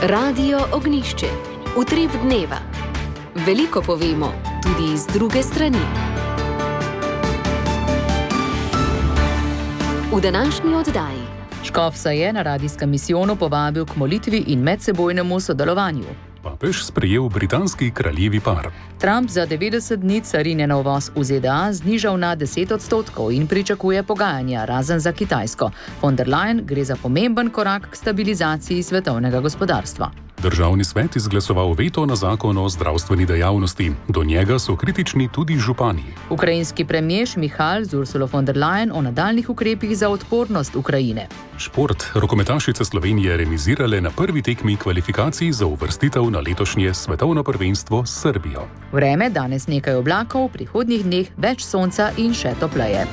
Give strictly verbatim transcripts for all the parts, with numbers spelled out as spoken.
Radio Ognišče, utrip dneva. Veliko povemo, tudi iz druge strani. V današnji oddaji. Škof se je na radijskem misijonu povabil k molitvi in medsebojnemu sodelovanju. Papež sprejel britanski kraljevi par. Trump za devetdeset dni carinjen uvoz v Z D A znižal na deset odstotkov in pričakuje pogajanja, razen za Kitajsko. Von der Leyen gre za pomemben korak k stabilizaciji svetovnega gospodarstva. Državni svet izglasoval veto na zakon o zdravstveni dejavnosti. Do njega so kritični tudi župani. Ukrajinski premier Michal z Ursulo von der Leyen o nadaljnih ukrepih za odpornost Ukrajine. Šport. Rokometašice Slovenije remizirale na prvi tekmi kvalifikacij za uvrstitev na letošnje svetovno prvenstvo s Srbijo. Vreme, danes nekaj oblakov, v prihodnjih dneh več sonca in še topleje.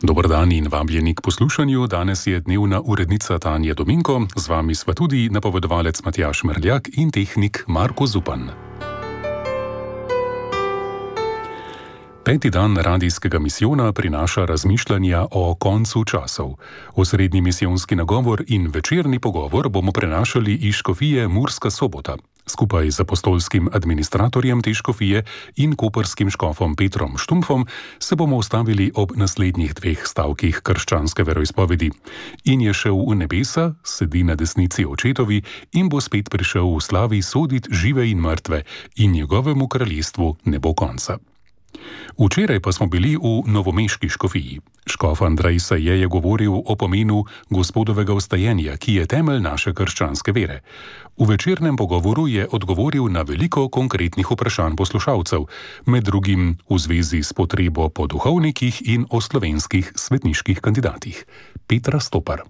Dober dan in vabljeni k poslušanju. Danes je dnevna urednica Tanja Dominko, z vami sva tudi napovedovalec Matjaž Mrljak in tehnik Marko Zupan. Peti dan radijskega misijona prinaša razmišljanja o koncu časov. Osrednji misijonski nagovor in večerni pogovor bomo prenašali iz škofije Murska Sobota. Skupaj z apostolskim administratorjem te škofije in koprskim škofom Petrom Štumpfom se bomo ustavili ob naslednjih dveh stavkih krščanske veroizpovedi. In je šel v nebesa, sedi na desnici očetovi in bo spet prišel v slavi sodit žive in mrtve in njegovemu kraljestvu ne bo konca. Včeraj pa smo bili v novomeški škofiji. Škof Andrej Saje je govoril o pomenu gospodovega vstajenja, ki je temelj naše krščanske vere. V večernem pogovoru je odgovoril na veliko konkretnih vprašanj poslušalcev, med drugim v zvezi s potrebo po duhovnikih in o slovenskih svetniških kandidatih. Petra Stopar.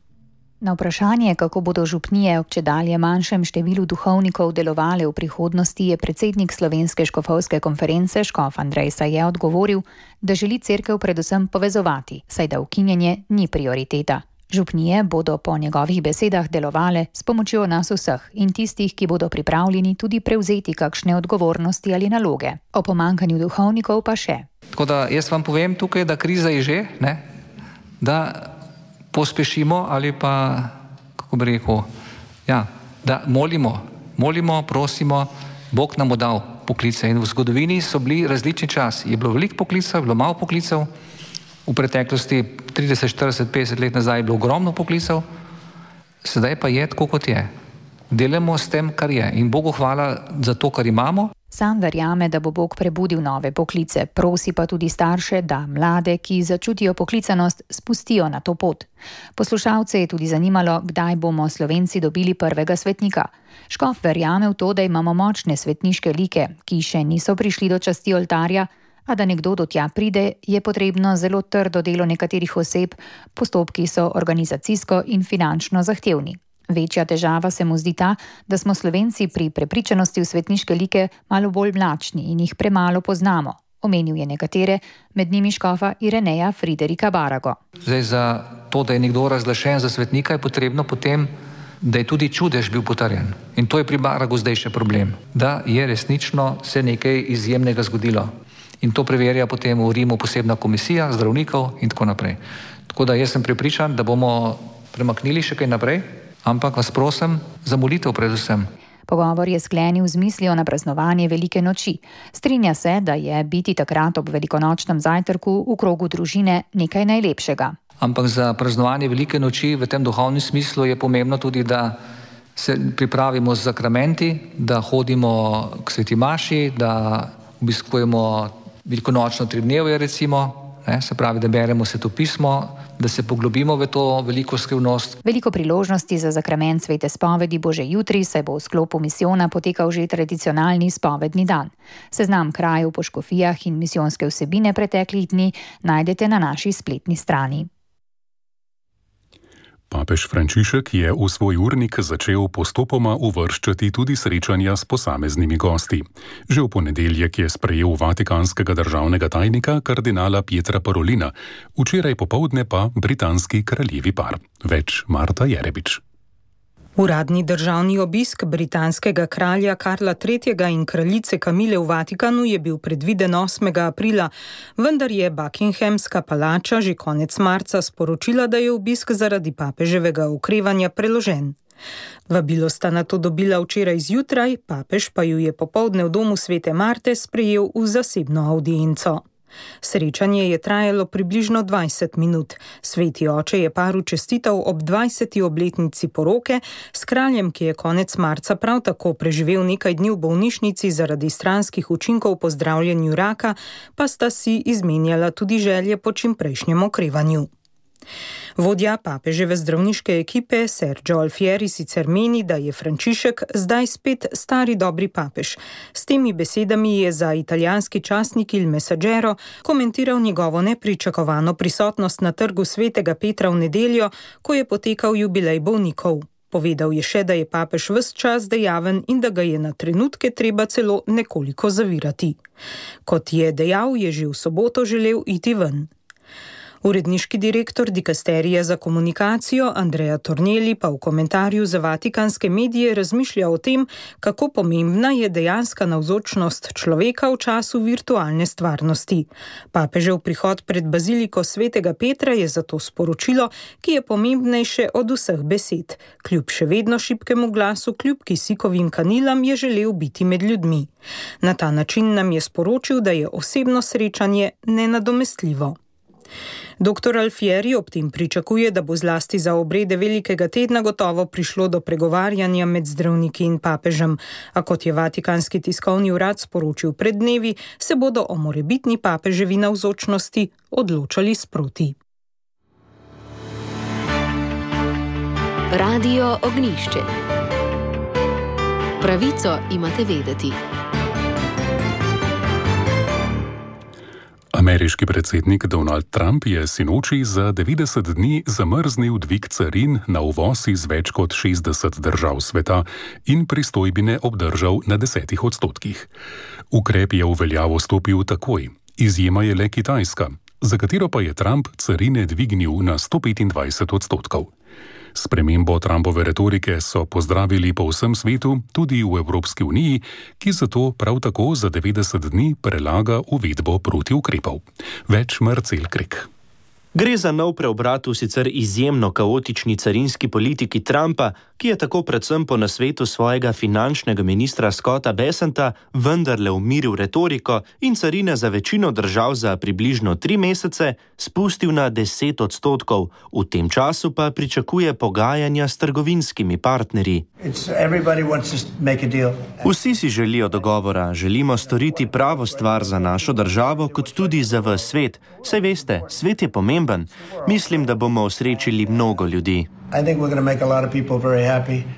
Na vprašanje, kako bodo župnije ob čedalje manjšem številu duhovnikov delovale v prihodnosti, je predsednik Slovenske škofovske konference škof Andrej Saje odgovoril, da želi cerkev predvsem povezovati, saj da ukinjanje ni prioriteta. Župnije bodo po njegovih besedah delovale s pomočjo nas vseh in tistih, ki bodo pripravljeni tudi prevzeti kakšne odgovornosti ali naloge. O pomanjkanju duhovnikov pa še. Tako da jaz vam povem tukaj, da kriza je že, ne? Da pospešimo ali pa, kako bi rekel, ja, da molimo, molimo, prosimo, Bog nam bo dal poklice. In v zgodovini so bili različni časi. Je bilo veliko poklicev, je bilo malo poklicev, v preteklosti trideset, štirideset, petdeset let nazaj je bilo ogromno poklicev, sedaj pa je tako, kot je. Delamo s tem, kar je. In Bogu hvala za to, kar imamo. Sam verjame, da bo Bog prebudil nove poklice, prosi pa tudi starše, da mlade, ki začutijo poklicanost, spustijo na to pot. Poslušalce je tudi zanimalo, kdaj bomo Slovenci dobili prvega svetnika. Škof verjame v to, da imamo močne svetniške like, ki še niso prišli do časti oltarja, a da nekdo do tja pride, je potrebno zelo trdo delo nekaterih oseb, postopki so organizacijsko in finančno zahtevni. Večja težava se mu zdi ta, da smo Slovenci pri prepričanosti v svetniške like malo bolj mlačni in jih premalo poznamo. Omenil je nekatere, med njimi škofa Ireneja Friderika Barago. Zdaj, za to, da je nekdo razglašen za svetnika, je potrebno potem, da je tudi čudež bil potrjen. In to je pri Baragu zdaj še problem. Da je resnično se nekaj izjemnega zgodilo. In to preverja potem v Rimu posebna komisija zdravnikov in tako naprej. Tako da jaz sem prepričan, da bomo premaknili še kaj naprej, ampak vas prosim za molitev predvsem. Pogovor je sklenil z mislijo na praznovanje velike noči. Strinja se, da je biti takrat ob velikonočnem zajtrku v krogu družine nekaj najlepšega. Ampak za praznovanje velike noči v tem duhovnem smislu je pomembno tudi, da se pripravimo z sakramenti, da hodimo k sveti maši, da obiskujemo velikonočno tridnevje recimo, ne, se pravi, da beremo sveto pismo, da se poglobimo v to veliko skrivnost. Veliko priložnosti za zakrament svete spovedi bo že jutri, saj bo v sklopu misijona potekal že tradicionalni spovedni dan. Seznam krajev po škofijah in misijonske vsebine preteklih dni najdete na naši spletni strani. Papež Frančišek je v svoj urnik začel postopoma uvrščati tudi srečanja s posameznimi gosti. Že v ponedeljek je sprejel vatikanskega državnega tajnika kardinala Pietra Parolina, včeraj popoldne pa britanski kraljevi par. Več Marta Jerebič. Uradni državni obisk britanskega kralja Karla tretjega in kraljice Kamile v Vatikanu je bil predviden osmega aprila, vendar je Buckinghamska palača že konec marca sporočila, da je obisk zaradi papeževega okrevanja preložen. Vabilo sta nato dobila včeraj zjutraj, papež pa ju je popoldne v domu Svete Marte sprejel v zasebno avdienco. Srečanje je trajalo približno dvajset minut. Sveti oče je paru čestital ob dvajseti obletnici poroke, s kraljem, ki je konec marca prav tako preživel nekaj dni v bolnišnici zaradi stranskih učinkov po zdravljenju raka, pa sta si izmenjala tudi želje po čimprejšnjem okrevanju. Vodja papeževe zdravniške ekipe Sergio Alfieri sicer meni, da je Frančišek zdaj spet stari dobri papež. S temi besedami je za italijanski časnik Il Messaggero komentiral njegovo nepričakovano prisotnost na trgu Svetega Petra v nedeljo, ko je potekal jubilej bolnikov. Povedal je še, da je papež ves čas dejaven in da ga je na trenutke treba celo nekoliko zavirati. Kot je dejal, je že v soboto želel iti ven. Uredniški direktor dikasterija za komunikacijo Andrea Tornelli pa v komentarju za vatikanske medije razmišlja o tem, kako pomembna je dejanska navzočnost človeka v času virtualne stvarnosti. Papežev prihod pred baziliko Svetega Petra je zato sporočilo, ki je pomembnejše od vseh besed. Kljub še vedno šibkemu glasu, kljub kisikovim kanilam je želel biti med ljudmi. Na ta način nam je sporočil, da je osebno srečanje nenadomestljivo. Doktor Alfieri ob tem pričakuje, da bo zlasti za obrede velikega tedna gotovo prišlo do pregovarjanja med zdravniki in papežem, a kot je Vatikanski tiskovni urad sporočil pred dnevi, se bodo o morebitni papeževi navzočnosti odločali sproti. Radio Ognjišče. Pravico imate vedeti. Ameriški predsednik Donald Trump je sinoči za devetdeset dni zamrznil dvig carin na uvoz iz več kot šestdeset držav sveta in pristojbine obdržal na desetih odstotkih. Ukrep je v veljavo stopil takoj. Izjema je le Kitajska, za katero pa je Trump carine dvignil na sto petindvajset odstotkov. Spremembo Trumpove retorike so pozdravili po vsem svetu, tudi v Evropski uniji, ki zato prav tako za devetdeset dni prelaga uvedbo protiukrepov. Več Marcel Krek. Gre za nov preobrat v sicer izjemno kaotični carinski politiki Trumpa, ki je tako predvsem po nasvetu svojega finančnega ministra Scotta Bessenta vendarle umiril retoriko in carine za večino držav za približno tri mesece spustil na deset odstotkov, v tem času pa pričakuje pogajanja s trgovinskimi partnerji. Vsi si želijo dogovora, želimo storiti pravo stvar za našo državo, kot tudi za ves svet. Saj veste, svet je pomemben. Mislim, da bomo osrečili mnogo ljudi.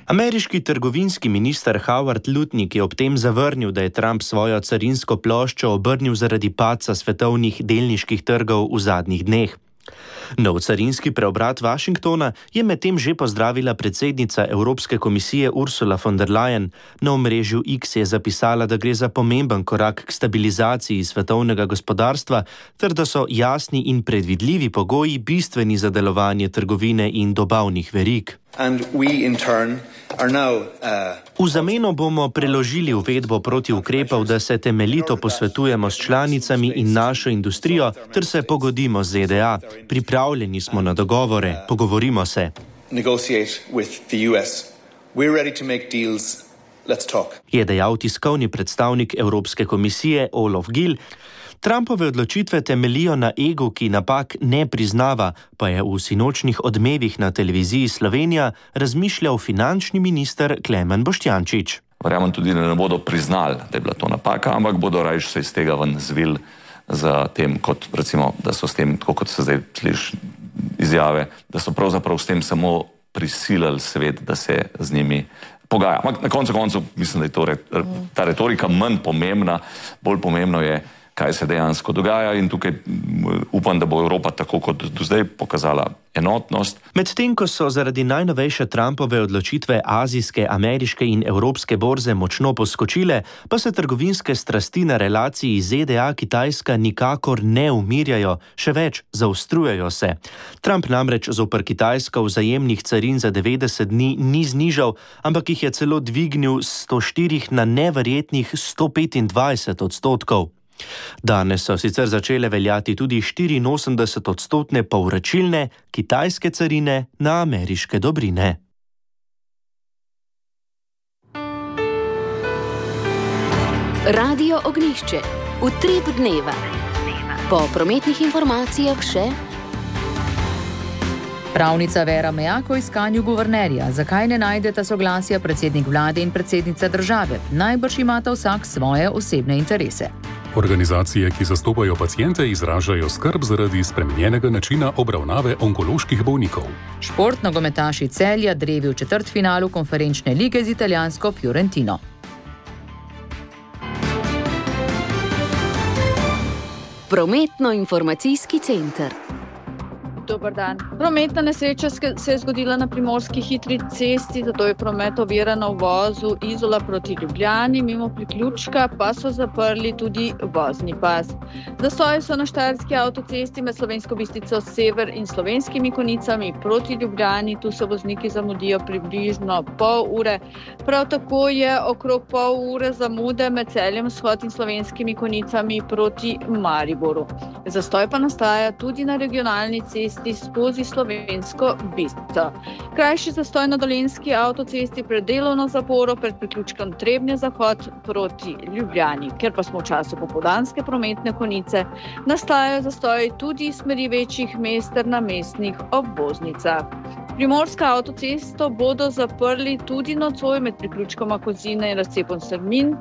Ameriški trgovinski minister Howard Lutnick je ob tem zavrnil, da je Trump svojo carinsko ploščo obrnil zaradi padca svetovnih delniških trgov v zadnjih dneh. Nov carinski preobrat Washingtona je medtem že pozdravila predsednica Evropske komisije Ursula von der Leyen. Na omrežju X je zapisala, da gre za pomemben korak k stabilizaciji svetovnega gospodarstva ter da so jasni in predvidljivi pogoji bistveni za delovanje trgovine in dobavnih verig. V zameno bomo preložili uvedbo protiukrepov, da se temeljito posvetujemo s članicami in našo industrijo ter se pogodimo z Z D A. Pripravljeni smo na dogovore, pogovorimo se. Je dejal tiskovni predstavnik Evropske komisije Olof Gill. Trumpove odločitve temelijo na egu, ki napak ne priznava, pa je v sinočnih odmevih na televiziji Slovenija razmišljal finančni minister Klemen Boštjančič. Verjamem tudi, da ne bodo priznali, da je bila to napaka, ampak bodo rajš se iz tega ven zvili za tem, kot recimo, da so s tem, tako kot se zdaj sliši izjave, da so pravzaprav s tem samo prisilili svet, da se z njimi pogaja. Ampak na koncu koncu mislim, da je to, ta retorika manj pomembna, bolj pomembno je, kaj se dejansko dogaja in tukaj upam, da bo Evropa tako kot do zdaj pokazala enotnost. Medtem, ko so zaradi najnovejše Trumpove odločitve azijske, ameriške in evropske borze močno poskočile, pa se trgovinske strasti na relaciji Z D A-Kitajska nikakor ne umirjajo, še več, zaostrujejo se. Trump namreč zoper Kitajsko vzajemnih carin za devetdeset dni ni znižal, ampak jih je celo dvignil s sto štirih na neverjetnih sto petindvajset odstotkov. Danes so sicer začele veljati tudi štiriinosemdeset odstotne povračilne kitajske carine na ameriške dobrine. Radio Ognjišče. Utrip dneva. Po prometnih informacijah še... Pravnica Vera Mejak o iskanju guvernerja. Zakaj ne najdeta soglasja predsednik vlade in predsednica države? Najbrž imata vsak svoje osebne interese. Organizacije, ki zastopajo paciente, izražajo skrb zaradi spremenjenega načina obravnave onkoloških bolnikov. Šport nogometaši Celja drevi v četrtfinalu konferenčne lige z italijansko Fiorentino. Prometno-informacijski center. Dobar dan. Prometna nesreča se je zgodila na primorski hitri cesti, zato je promet oviran v vozu Izola proti Ljubljani, mimo priključka pa so zaprli tudi vozni pas. Zastoji so na štajerski avtocesti med Slovensko Bistrico sever in Slovenskimi Konjicami proti Ljubljani, tu se vozniki zamudijo približno pol ure. Prav tako je okrog pol ure zamude med Celjem vzhod in Slovenskimi Konjicami proti Mariboru. Zastoj pa nastaja tudi na regionalni cesti skozi Slovensko Bistrico. Krajši zastoj na Dolenjski avtocesti pred delovno zaporo pred priključkom Trebnje zahod proti Ljubljani. Ker pa smo v času popoldanske prometne konice, nastajajo zastoji tudi iz smeri večjih mest ter na mestnih obvoznicah. Primorsko avtocesto bodo zaprli tudi nocoj med priključkoma Kozine in razcepom Strmin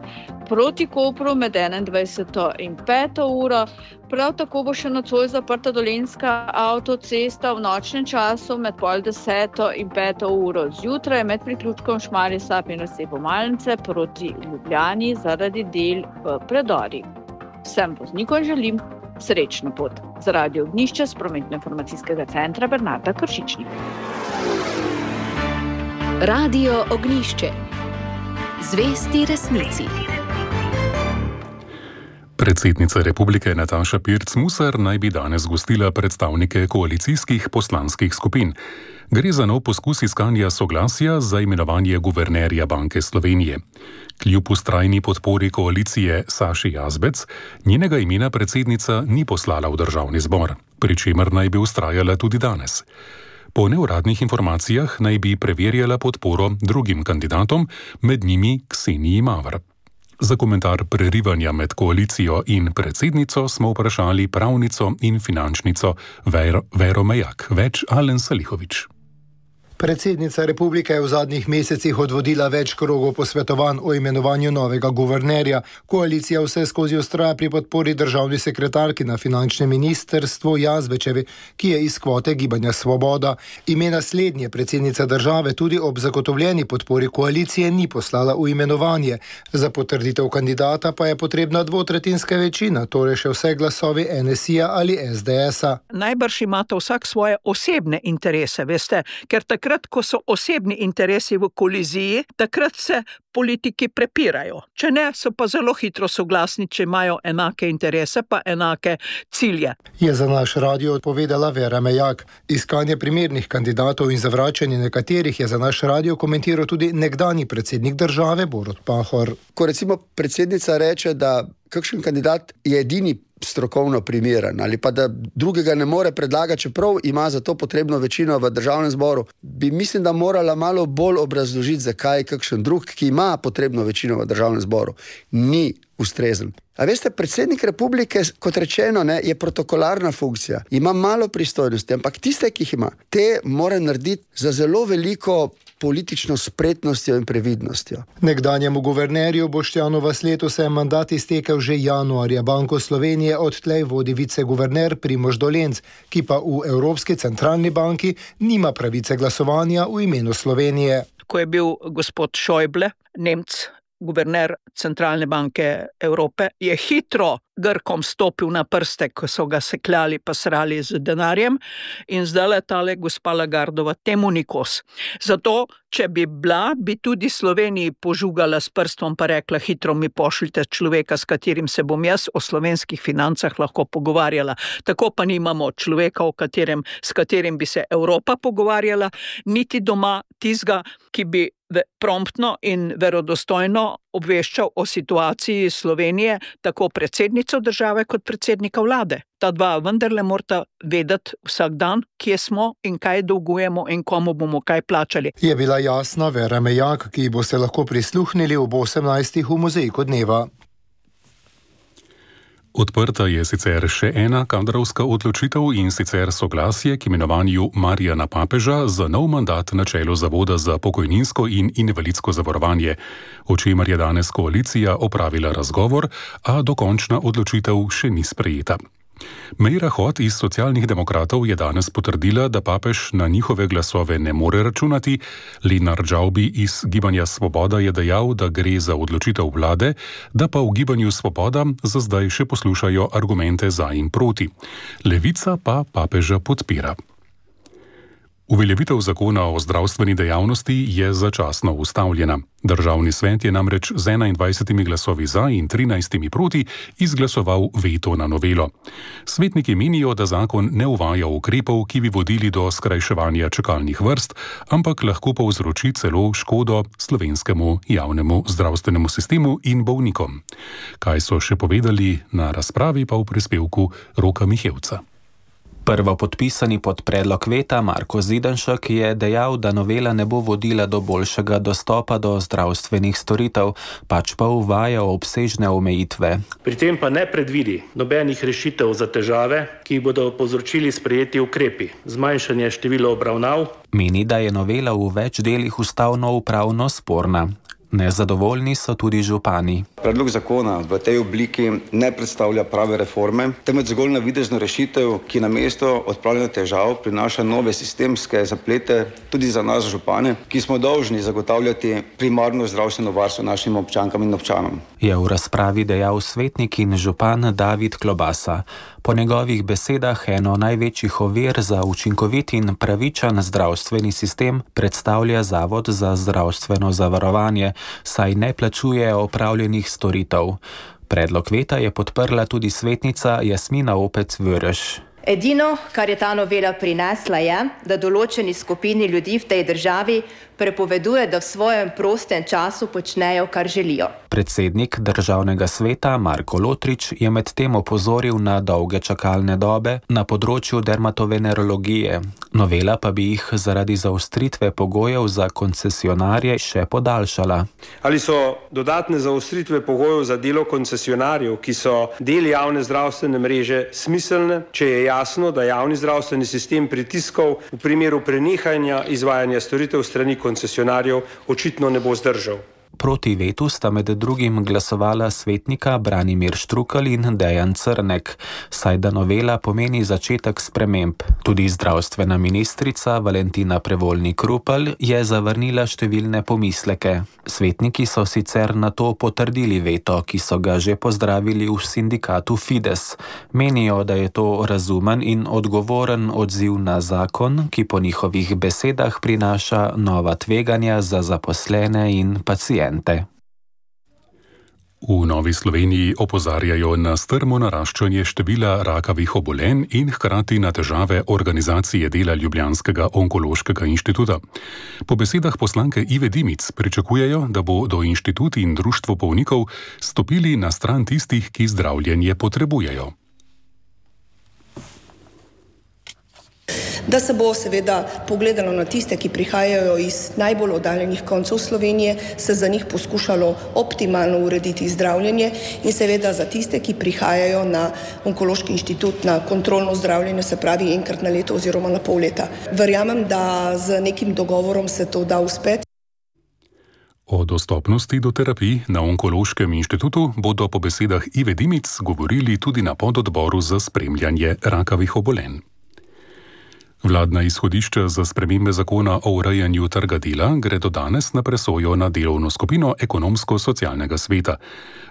proti Kopru med enaindvajseto in peto uro. Prav tako bo še nocoj zaprta Dolenjska avtocesta v nočnem času med pol deseto in peto uro zjutraj med priključkom Šmarje Sap in razcepom Malnice proti Ljubljani zaradi del v predorih. Vsem voznikom želim srečno pot. Za Radio Ognjišče s prometno-informacijskega centra Bernarda Kršičnik. Radio Ognjišče. Zvesti resnici. Predsednica republike Nataša Pirc Musar naj bi danes gostila predstavnike koalicijskih poslanskih skupin. Gre za nov poskus iskanja soglasja za imenovanje guvernerja Banke Slovenije. Kljub vztrajni podpori koalicije Saši Jazbec, njenega imena predsednica ni poslala v državni zbor, pri čemer naj bi vztrajala tudi danes. Po neuradnih informacijah naj bi preverjala podporo drugim kandidatom, med njimi Kseniji Mavr. Za komentar prerivanja med koalicijo in predsednico smo vprašali pravnico in finančnico Ver, Vero Mejak, več Alen Salihovič. Predsednica republike je v zadnjih mesecih odvodila več krogov posvetovanj o imenovanju novega guvernerja. Koalicija vse skozi vztraja pri podpori državni sekretarki na finančnem ministrstvu Jazbečevi, ki je iz kvote Gibanja Svoboda. Ime naslednje predsednica države tudi ob zagotovljeni podpori koalicije ni poslala v imenovanje. Za potrditev kandidata pa je potrebna dvotretjinska večina, torej še vse glasovi en es i-ja ali es de es-a. Najbrž imate vsak svoje osebne interese, veste, ker takrat Takrat, ko so osebni interesi v koliziji, takrat se politiki prepirajo. Če ne, so pa zelo hitro soglasni, če imajo enake interese pa enake cilje. Je za naš radio odpovedala Vera Mejak. Iskanje primernih kandidatov in zavračanje nekaterih je za naš radio komentiral tudi nekdanji predsednik države Borut Pahor. Ko recimo predsednica reče, da kakšen kandidat je edini strokovno primeren ali pa da drugega ne more predlagati, čeprav ima za to potrebno večino v državnem zboru, bi mislim, da morala malo bolj obrazložiti, zakaj kakšen drug, ki ima potrebno večino v državnem zboru, ni ustrezen. A veste, predsednik republike, kot rečeno, ne, je protokolarna funkcija, ima malo pristojnosti, ampak tiste, ki jih ima, te mora narediti za zelo veliko politično spretnostjo in previdnostjo. Nekdanjemu guvernerju Boštjanu Vasletu se je mandat iztekel že januarja. Banko Slovenije odtlej vodi viceguverner Primož Dolenc, ki pa v Evropski centralni banki nima pravice glasovanja v imenu Slovenije. Ko je bil gospod Schäuble, Nemc, guverner Centralne banke Evrope, je hitro Grkom stopil na prste, ko so ga sekljali pa srali z denarjem, in zdaj le tale gospa Lagardova temu ni kos. Zato, če bi bila, bi tudi Sloveniji požugala s prstom pa rekla, hitro mi pošljite človeka, s katerim se bom jaz o slovenskih financah lahko pogovarjala. Tako pa nimamo človeka, o katerem, s katerim bi se Evropa pogovarjala, niti doma tizga, ki bi promptno in verodostojno obveščal o situaciji Slovenije, tako predsednico države kot predsednika vlade. Ta dva vendarle morata vedeti vsak dan, kje smo in kaj dolgujemo in komu bomo kaj plačali. Je bila jasna Vera Mejak, ki bo se lahko prisluhnili ob osemnajstih v Mozaiku dneva. Odprta je sicer še ena kadrovska odločitev, in sicer soglasje k imenovanju Marjana Papeža za nov mandat na čelu Zavoda za pokojninsko in invalidsko zavarovanje, o čemer je danes koalicija opravila razgovor, a dokončna odločitev še ni sprejeta. Meira Hot iz Socialnih demokratov je danes potrdila, da Papež na njihove glasove ne more računati. Lenart Džavbi iz Gibanja Svoboda je dejal, da gre za odločitev vlade, da pa v Gibanju Svoboda za zdaj še poslušajo argumente za in proti. Levica pa Papeža podpira. Uveljavitev zakona o zdravstveni dejavnosti je začasno ustavljena. Državni svet je namreč z enaindvajsetimi glasovi za in trinajstimi proti izglasoval veto na novelo. Svetniki menijo, da zakon ne uvaja ukrepov, ki bi vodili do skrajševanja čakalnih vrst, ampak lahko povzroči celo škodo slovenskemu javnemu zdravstvenemu sistemu in bolnikom. Kaj so še povedali na razpravi, pa v prispevku Roka Mihevca. Prvopodpisani pod predlog veta Marko Zidanšek je dejal, da novela ne bo vodila do boljšega dostopa do zdravstvenih storitev, pač pa uvaja obsežne omejitve. Pri tem pa ne predvidi nobenih rešitev za težave, ki jih bodo povzročili sprejeti ukrepi, zmanjšanje števila obravnav. Meni, da je novela v več delih ustavno-upravno sporna. Nezadovoljni so tudi župani. Predlog zakona v tej obliki ne predstavlja prave reforme, temveč zgolj navidezno rešitev, ki namesto odpravljanja težav prinaša nove sistemske zaplete tudi za nas župane, ki smo dolžni zagotavljati primarno zdravstveno varstvo našim občankam in občanom. Je v razpravi dejal svetnik in župan David Klobasa. Po njegovih besedah eno največjih ovir za učinkovit in pravičen zdravstveni sistem predstavlja Zavod za zdravstveno zavarovanje, saj ne plačuje opravljenih storitev. Predlog veta je podprla tudi svetnica Jasmina Opec-Vöreš. Edino, kar je ta novela prinesla, je, da določeni skupini ljudi v tej državi prepoveduje, da v svojem prostem času počnejo, kar želijo. Predsednik državnega sveta Marko Lotrič je med tem opozoril na dolge čakalne dobe na področju dermatovenerologije. Novela pa bi jih zaradi zaostritve pogojev za koncesionarje še podaljšala. Ali so dodatne zaostritve pogojev za delo koncesionarjev, ki so del javne zdravstvene mreže, smiselne, če je jasno, da javni zdravstveni sistem pritiskov v primeru prenehanja izvajanja storitev strani koncesionarjev očitno ne bo zdržal. Proti vetu sta med drugim glasovala svetnika Branimir Štrukelj in Dejan Crnek, saj da novela pomeni začetek sprememb. Tudi zdravstvena ministrica Valentina Prevolnik Rupel je zavrnila številne pomisleke. Svetniki so sicer na to potrdili veto, ki so ga že pozdravili v sindikatu Fides. Menijo, da je to razumen in odgovoren odziv na zakon, ki po njihovih besedah prinaša nova tveganja za zaposlene in paciente. V Novi Sloveniji opozarjajo na strmo naraščanje števila rakavih obolenj in hkrati na težave organizacije dela Ljubljanskega onkološkega inštituta. Po besedah poslanke Ive Dimic pričakujejo, da bodo inštitut in društvo bolnikov stopili na stran tistih, ki zdravljenje potrebujejo. Da se bo seveda pogledalo na tiste, ki prihajajo iz najbolj oddaljenih koncev Slovenije, se za njih poskušalo optimalno urediti zdravljenje in seveda za tiste, ki prihajajo na onkološki inštitut na kontrolno zdravljenje, se pravi enkrat na leto oziroma na pol leta. Verjamem, da z nekim dogovorom se to da uspeti. O dostopnosti do terapij na onkološkem inštitutu bodo po besedah Ive Dimic govorili tudi na pododboru za spremljanje rakavih obolenj. Vladna izhodišča za spremembe zakona o urejanju trga dela gredo danes na presojo na delovno skupino ekonomsko-socialnega sveta.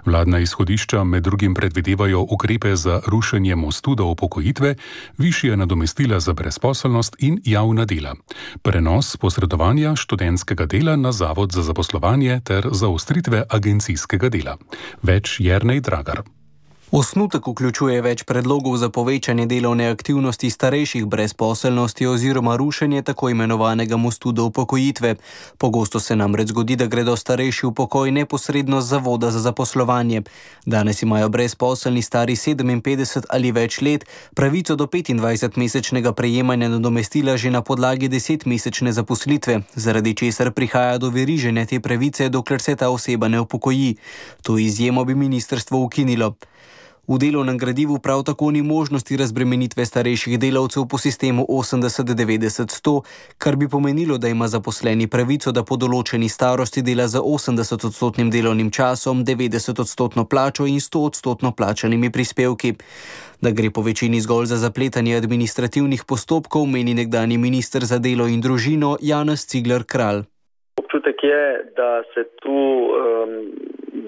Vladna izhodišča med drugim predvidevajo ukrepe za rušenje mostu do upokojitve, višje nadomestila za brezposelnost in javna dela, prenos posredovanja študentskega dela na Zavod za zaposlovanje ter zaostritve agencijskega dela. Več Jernej Dragar. Osnutek vključuje več predlogov za povečanje delovne aktivnosti starejših, brezposelnosti oziroma rušenje tako imenovanega mostu do upokojitve. Pogosto se namreč zgodi, da gredo starejši v pokoj neposredno z Zavoda za zaposlovanje. Danes imajo brezposelni stari sedeminpetdeset ali več let pravico do petindvajsetmesečnega prejemanja nadomestila že na podlagi desetmesečne zaposlitve, zaradi česar prihaja do veriženja te pravice, dokler se ta oseba ne upokoji. To izjemo bi ministrstvo ukinilo. V delovnem gradivu prav tako ni možnosti razbremenitve starejših delavcev po sistemu osemdeset devetdeset sto, kar bi pomenilo, da ima zaposleni pravico, da po določeni starosti dela za osemdeset odstotnim delovnim časom, devetdeset odstotno plačo in sto odstotno plačanimi prispevki. Da gre po večini zgolj za zapletanje administrativnih postopkov, meni nekdanji minister za delo in družino Janez Cigler Kralj. Občutek je, da se tu, um,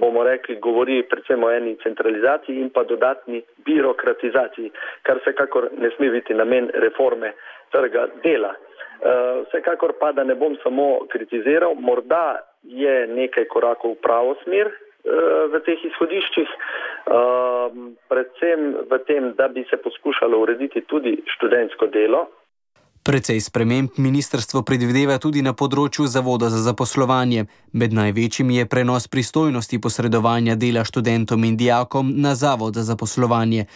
bomo rekli, govori predvsem o eni centralizaciji in pa dodatni birokratizaciji, kar vsekakor ne sme biti namen reforme trga dela. Uh, vsekakor pa, da ne bom samo kritiziral, morda je nekaj korakov v pravo smer uh, v teh izhodiščih, uh, predvsem v tem, da bi se poskušalo urediti tudi študentsko delo. Precej sprememb ministrstvo predvideva tudi na področju Zavoda za zaposlovanje. Med največjimi je prenos pristojnosti posredovanja dela študentom in dijakom na Zavod za zaposlovanje.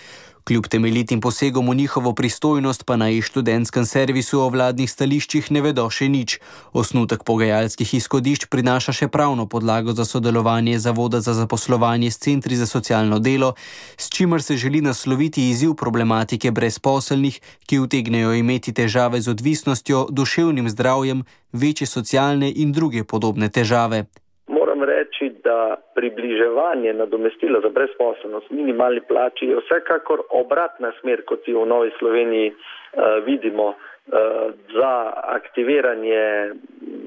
Kljub temeljitim posegom v njihovo pristojnost pa na e-študentskem servisu o vladnih stališčih ne vedo še nič. Osnutek pogajalskih izhodišč prinaša še pravno podlago za sodelovanje Zavoda za zaposlovanje s centri za socialno delo, s čimer se želi nasloviti izziv problematike brezposelnih, ki utegnejo imeti težave z odvisnostjo, duševnim zdravjem, večje socialne in druge podobne težave. Moram reči, da približevanje nadomestila za brezposelnost minimalni plači je vsekakor obratna smer, kot jo v Novi Sloveniji uh, vidimo, uh, za aktiviranje,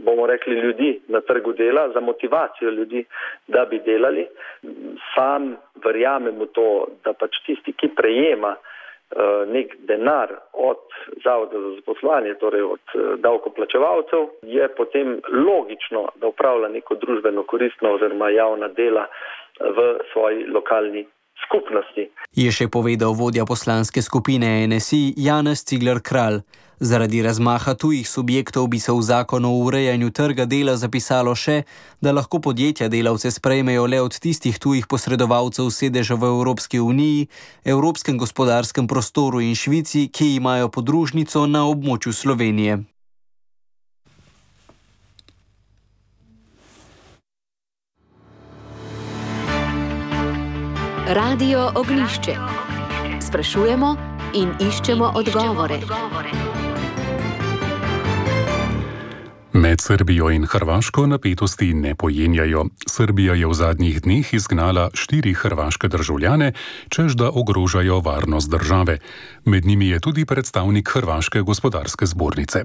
bomo rekli, ljudi na trgu dela, za motivacijo ljudi, da bi delali. Sam verjamem v to, da pač tisti, ki prejema nek denar od Zavoda za zaposlovanje, torej od davkoplačevalcev, je potem logično, da upravlja neko družbeno koristno oziroma javna dela v svoji lokalni skupnosti. Je še povedal vodja poslanske skupine N S I Janez Cigler Kralj. Zaradi razmaha tujih subjektov bi se v zakonu o urejanju trga dela zapisalo še, da lahko podjetja delavce sprejmejo le od tistih tujih posredovalcev sedeža v Evropski uniji, Evropskem gospodarskem prostoru in Švici, ki imajo podružnico na območju Slovenije. Radio Oglišče. Sprašujemo in iščemo odgovore. Med Srbijo in Hrvaško napetosti ne pojenjajo. Srbija je v zadnjih dneh izgnala štiri hrvaške državljane, čež da ogrožajo varnost države. Med njimi je tudi predstavnik Hrvaške gospodarske zbornice.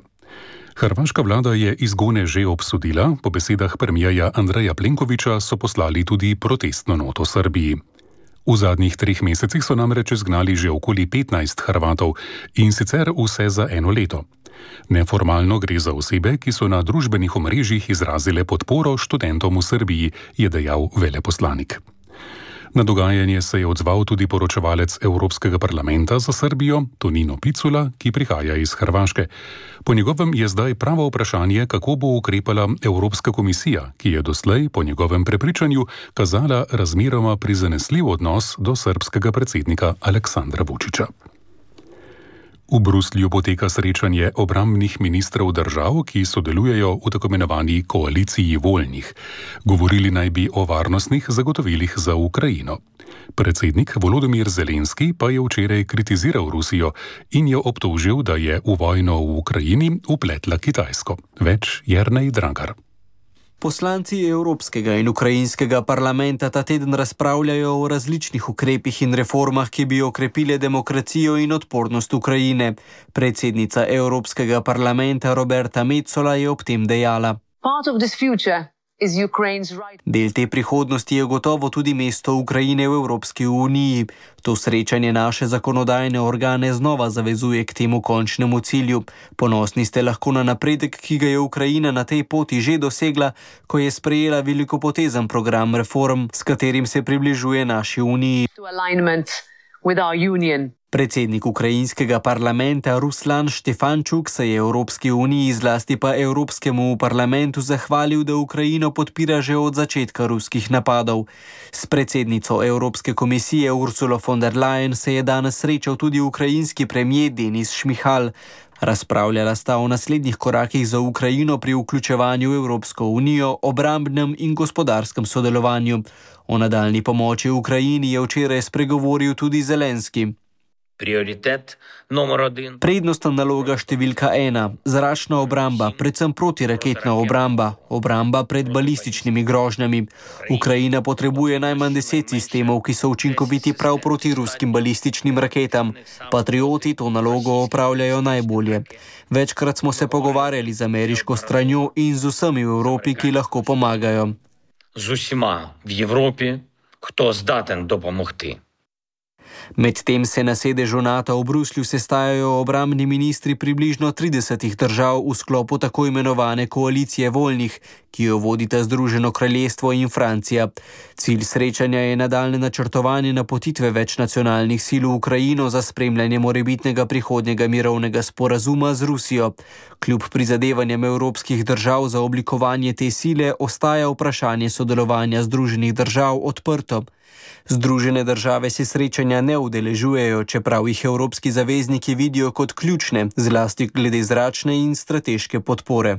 Hrvaška vlada je izgone že obsodila, po besedah premijerja Andreja Plenkovića so poslali tudi protestno noto Srbiji. V zadnjih treh mesecih so namreč izgnali že okoli petnajst Hrvatov in sicer vse za eno leto. Neformalno gre za osebe, ki so na družbenih omrežjih izrazile podporo študentom v Srbiji, je dejal veleposlanik. Na dogajanje se je odzval tudi poročevalec Evropskega parlamenta za Srbijo, Tonino Picula, ki prihaja iz Hrvaške. Po njegovem je zdaj pravo vprašanje, kako bo ukrepala Evropska komisija, ki je doslej, po njegovem prepričanju, kazala razmeroma prizanesljiv odnos do srbskega predsednika Aleksandra Vučića. V Bruslju poteka srečanje obrambnih ministrov držav, ki sodelujejo v tako imenovani koaliciji voljnih. Govorili naj bi o varnostnih zagotovilih za Ukrajino. Predsednik Volodymyr Zelenski pa je včeraj kritiziral Rusijo in jo obtožil, da je v vojno v Ukrajini vpletla Kitajsko. Več Jernej Dragar. Poslanci Evropskega in Ukrajinskega parlamenta ta teden razpravljajo o različnih ukrepih in reformah, ki bi okrepile demokracijo in odpornost Ukrajine. Predsednica Evropskega parlamenta Roberta Metsola je ob tem dejala: Del te prihodnosti je gotovo tudi mesto Ukrajine v Evropski uniji. To srečanje naše zakonodajne organe znova zavezuje k temu končnemu cilju. Ponosni ste lahko na napredek, ki ga je Ukrajina na tej poti že dosegla, ko je sprejela velikopotezen program reform, s katerim se približuje naši uniji. Predsednik ukrajinskega parlamenta Ruslan Štefančuk se je Evropski uniji, zlasti pa Evropskemu parlamentu, zahvalil, da Ukrajino podpira že od začetka ruskih napadov. S predsednico Evropske komisije Ursulo von der Leyen se je danes srečal tudi ukrajinski premijer Denis Šmihal. Razpravljala sta o naslednjih korakih za Ukrajino pri vključevanju v Evropsko unijo, obrambnem in gospodarskem sodelovanju. O nadaljni pomoči Ukrajini je včeraj spregovoril tudi Zelenski. Prioritet номер один. Prednostna naloga številka ena. Zračna obramba, predvsem protiraketna obramba, obramba pred balističnimi grožnjami. Ukrajina potrebuje najmanj deset sistemov, ki so učinkoviti prav proti ruskim balističnim raketam. Patrioti to nalogo opravljajo najbolje. Večkrat smo se pogovarjali z ameriško stranjo in z vsemi v Evropi, ki lahko pomagajo. Z vsima v Evropi, kdo zdaten dopomogti. Medtem se na sedežu NATO v Bruslju sestajajo obrambni ministri približno tridesetih držav v sklopu tako imenovane koalicije voljnih, ki jo vodita Združeno kraljestvo in Francija. Cilj srečanja je nadaljne načrtovanje napotitve večnacionalnih sil v Ukrajino za spremljanje morebitnega prihodnjega mirovnega sporazuma z Rusijo. Kljub prizadevanjem evropskih držav za oblikovanje te sile ostaja vprašanje sodelovanja Združenih držav odprto. Združene države se srečanja ne udeležujejo, čeprav jih evropski zavezniki vidijo kot ključne, zlasti glede zračne in strateške podpore.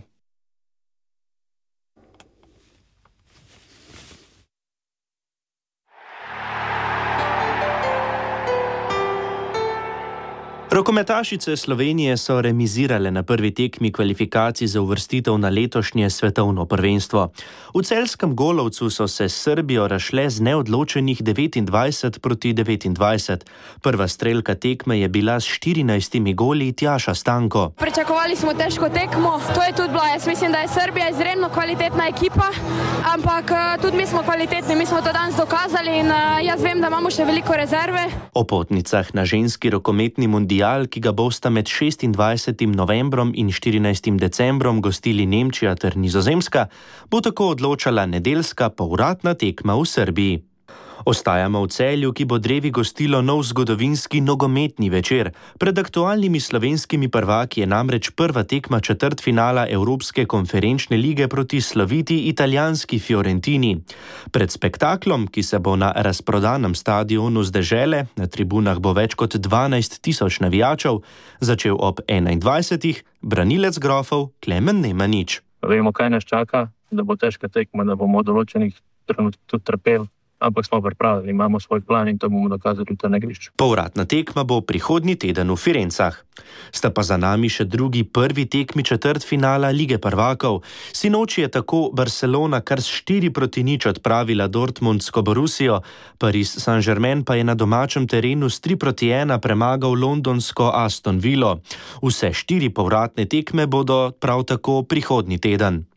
Rokometašice Slovenije so remizirale na prvi tekmi kvalifikacij za uvrstitev na letošnje svetovno prvenstvo. V celjskem Golovcu so se s Srbijo razšle z neodločenih devetindvajset proti devetindvajset. Prva strelka tekme je bila s štirinajstimi goli Tjaša Stanko. Pričakovali smo težko tekmo, to je tudi bilo. Jaz mislim, da je Srbija izredno kvalitetna ekipa, ampak tudi mi smo kvalitetni, mi smo to danes dokazali in jaz vem, da imamo še veliko rezerve. O potnicah na ženski rokometni mundial, ki ga bosta med šestindvajsetim novembrom in štirinajstim decembrom gostili Nemčija ter Nizozemska, bo tako odločala nedeljska povratna tekma v Srbiji. Ostajamo v Celju, ki bo drevi gostilo nov zgodovinski nogometni večer. Pred aktualnimi slovenskimi prvaki je namreč prva tekma četrtfinala Evropske konferenčne lige proti sloviti italijanski Fiorentini. Pred spektaklom, ki se bo na razprodanem stadionu z dežele, na tribunah bo več kot dvanajst tisoč navijačev, začel ob enaindvajsetih branilec Grofov Klemen Nemanič. Vemo, kaj nas čaka, da bo težka tekma, da bomo v določenih trenutkih tudi trpeli. Ampak smo pripravljeni, imamo svoj plan in to bomo dokazali tudi na igrišču. Povratna tekma bo prihodnji teden v Firencah. Sta pa za nami še drugi prvi tekmi četrtfinala Lige prvakov. Sinoči je tako Barcelona kar s štiri proti nič odpravila dortmundsko Borussijo, Paris Saint-Germain pa je na domačem terenu s tri proti ena premagal londonsko Aston Villo. Vse štiri povratne tekme bodo prav tako prihodnji teden.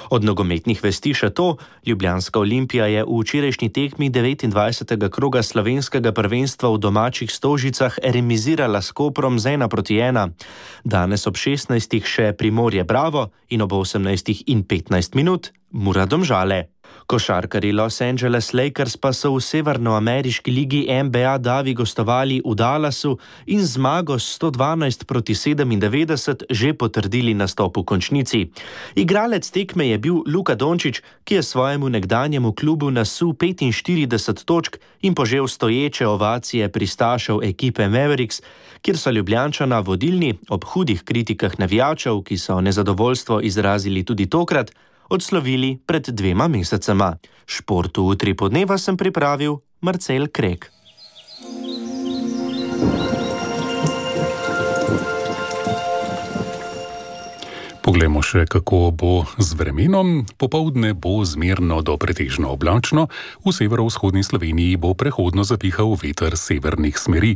Od nogometnih vesti še to, Ljubljanska Olimpija je v včerajšnji tekmi devetindvajsetega kroga slovenskega prvenstva v domačih Stožicah remizirala s Koprom z ena proti ena. Danes ob šestnajstih še Primorje Bravo in ob osemnajstih in petnajst minut Mura Domžale. Košarkarji Los Angeles Lakers pa so v severnoameriški ligi N B A Davi gostovali v Dallasu in zmago s sto dvanajst proti sedemindevetdeset že potrdili nastop v končnici. Igralec tekme je bil Luka Dončić, ki je svojemu nekdanjemu klubu nasul petinštirideset točk in požel stoječe ovacije pristašev ekipe Mavericks, kjer so Ljubljančana vodilni ob hudih kritikah navijačev, ki so nezadovoljstvo izrazili tudi tokrat, odslovili pred dvema mesecema. Športu Utri podneva sem pripravil Marcel Krek. Poglejmo še, kako bo z vremenom. Popoldne bo zmerno do pretežno oblačno, v severovzhodni Sloveniji bo prehodno zapihal veter severnih smeri.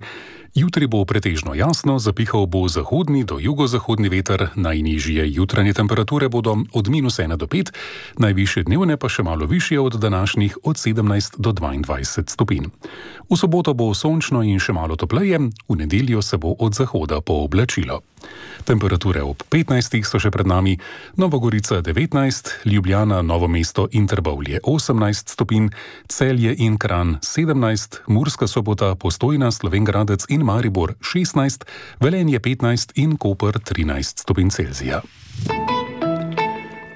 Jutri bo pretežno jasno, zapihal bo zahodni do jugozahodni veter, najnižje jutranje temperature bodo od minus ena do pet, najvišje dnevne pa še malo višje od današnjih od sedemnajst do dvaindvajset stopinj. V soboto bo sončno in še malo topleje, v nedeljo se bo od zahoda pooblačilo. Temperature ob petnajstih so še pred nami, Nova Gorica devetnajst, Ljubljana, Novo mesto in Trbovlje osemnajst stopinj, Celje in Kranj sedemnajst, Murska Sobota, Postojna, Slovenj Gradec in Maribor šestnajst, Velenje petnajst in Koper trinajst stopinj Celzija.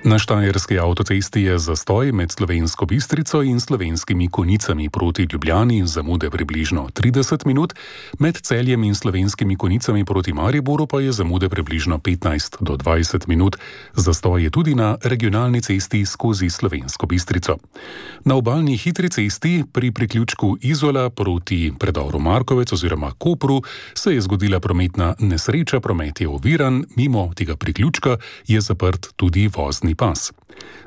Na Štajerski avtocesti je zastoj med Slovensko Bistrico in Slovenskimi Konjicami proti Ljubljani, zamude približno trideset minut, med Celjem in Slovenskimi Konjicami proti Mariboru pa je zamude približno petnajst do dvajset minut. Zastoj je tudi na regionalni cesti skozi Slovensko Bistrico. Na obalni hitri cesti pri priključku Izola proti predoru Markovec oziroma Kopru se je zgodila prometna nesreča, promet je oviran, mimo tega priključka je zaprt tudi vozni pas.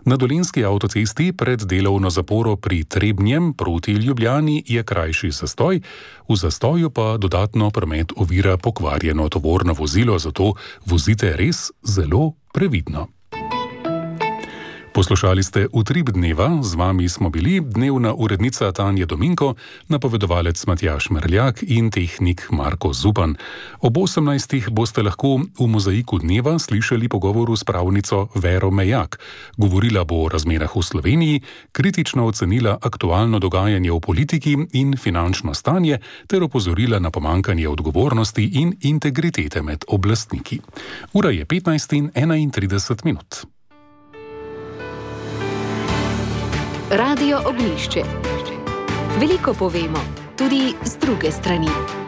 Na Dolenjski avtocesti pred delovno zaporo pri Trebnjem proti Ljubljani je krajši zastoj, v zastoju pa dodatno promet ovira pokvarjeno tovorno vozilo, zato vozite res zelo previdno. Poslušali ste Utrip dneva, z vami smo bili dnevna urednica Tanja Dominko, napovedovalec Matjaž Merljak in tehnik Marko Zupan. Ob osemnajstih boste lahko v Mozaiku dneva slišali pogovoru s pravnico Vero Mejak. Govorila bo o razmerah v Sloveniji, kritično ocenila aktualno dogajanje v politiki in finančno stanje ter opozorila na pomankanje odgovornosti in integritete med oblastniki. Ura je petnajst in enaintrideset minut. Radio Oglišče. Veliko povemo, tudi z druge strani.